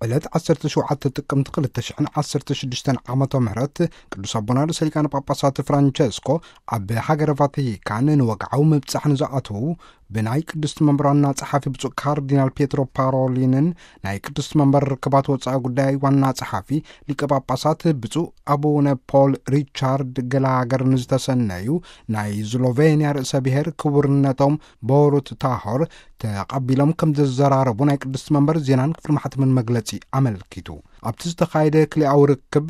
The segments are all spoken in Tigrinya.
ዕለት ዓሰርተ ሸውዓተ ጥቅምቲ ክልተ ሽሕን ዓሰርተ ሽዱሽተን ዓመተ ምህረት ቅዱስ ኣቦና ርእሰ ሊቃነ ጳጳሳት ፍራንቸስኮ ኣብ ሃገረ ቫቲካን ንወግዓዊ ምብጻሕ ንዝኣተዉ ብናይ ቅድስቲ መንበር ዋና ጸሓፊ ብፁዕ ካርዲናል ፒየትሮ ፓሮሊንን ናይ ቅድስቲ መንበር ርክባት ወጻኢ ጉዳይ ዋና ጸሓፊ ሊቀ ጳጳሳት ብፁዕ ኣቡነ ፖል ሪቻርድ ገላገር ንዝተሰነዩ ናይ ስሎቬንያ ርእሰ ብሔር ክቡርነቶም ቦሩት ታሆር ተቐቢሎም ከም ዘዘራረቡ ናይ ቅድስቲ መንበር ዜናን ክፍሊ ማሕተምን መግለጺ ኣመልኪቱ። ኣብቲ ዝተኻየደ ክልኣዊ ርክብ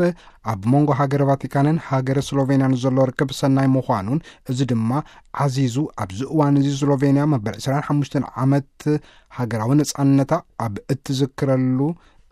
ኣብ መንጎ ሃገረ ቫቲካንን ሃገረ ስሎቬንያን ዘሎ ርክብ ሰናይ ምዃኑን፣ እዚ ድማ ዓዚዙ ኣብዚ እዋን እዚ ስሎቬንያ መበል ዕስራን ሓሙሽተን ዓመት ሃገራዊ ነጻነታ ኣብ እትዝክረሉ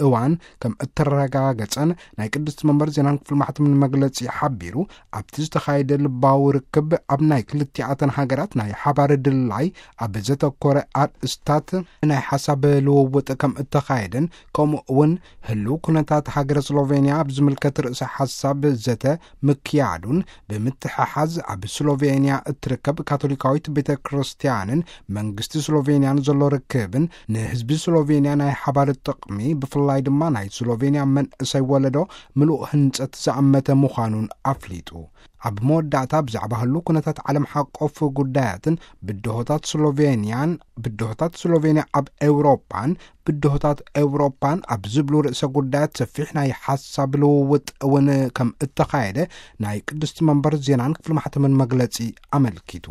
እዋን ከም እተረጋገጸን ናይ ቅድስቲ መንበር ዜናን ክፍሊ ማሕተምን መግለጺ ሓቢሩ፣ ኣብቲ ዝተኻየደ ልባዊ ርክብ ኣብ ናይ ክልቲኣተን ሃገራት ናይ ሓባር ድላይ ኣብ ዘተኮረ ኣርእስታት ናይ ሓሳብ ልውውጥ ከም እተኻየደን፣ ከምኡ እውን ህልው ኩነታት ሃገረ ስሎቬንያ ኣብ ዝምልከት ርእሰ ሓሳብ ዘተ ምክያዱን፣ ብምትሕሓዝ ኣብ ስሎቬንያ እትርከብ ካቶሊካዊት ቤተ ክርስቲያንን መንግስቲ ስሎቬንያን ዘሎ ርክብን፣ ንህዝቢ ስሎቬንያ ናይ ሓባር ጥቕሚ፣ ብፍላይ ድማ ናይ ስሎቬንያ መንእሰይ ወለዶ ምሉእ ህንጸት ዝኣመተ ምዃኑን ኣፍሊጡ። ኣብ መወዳእታ ብዛዕባ ህሉ ኩነታት ዓለም ሓቆፍ ጉዳያትን ብድሆታት ስሎቬንያን፣ ብድሆታት ስሎቬንያ ኣብ ኤውሮጳን ብድሆታት ኤውሮጳን ኣብ ዝብሉ ርእሰ ጉዳያት ሰፊሕ ናይ ሓሳብ ልውውጥ እውን ከም እተኻየደ ናይ ቅድስቲ መንበር ዜናን ክፍሊ ማሕተምን መግለጺ ኣመልኪቱ።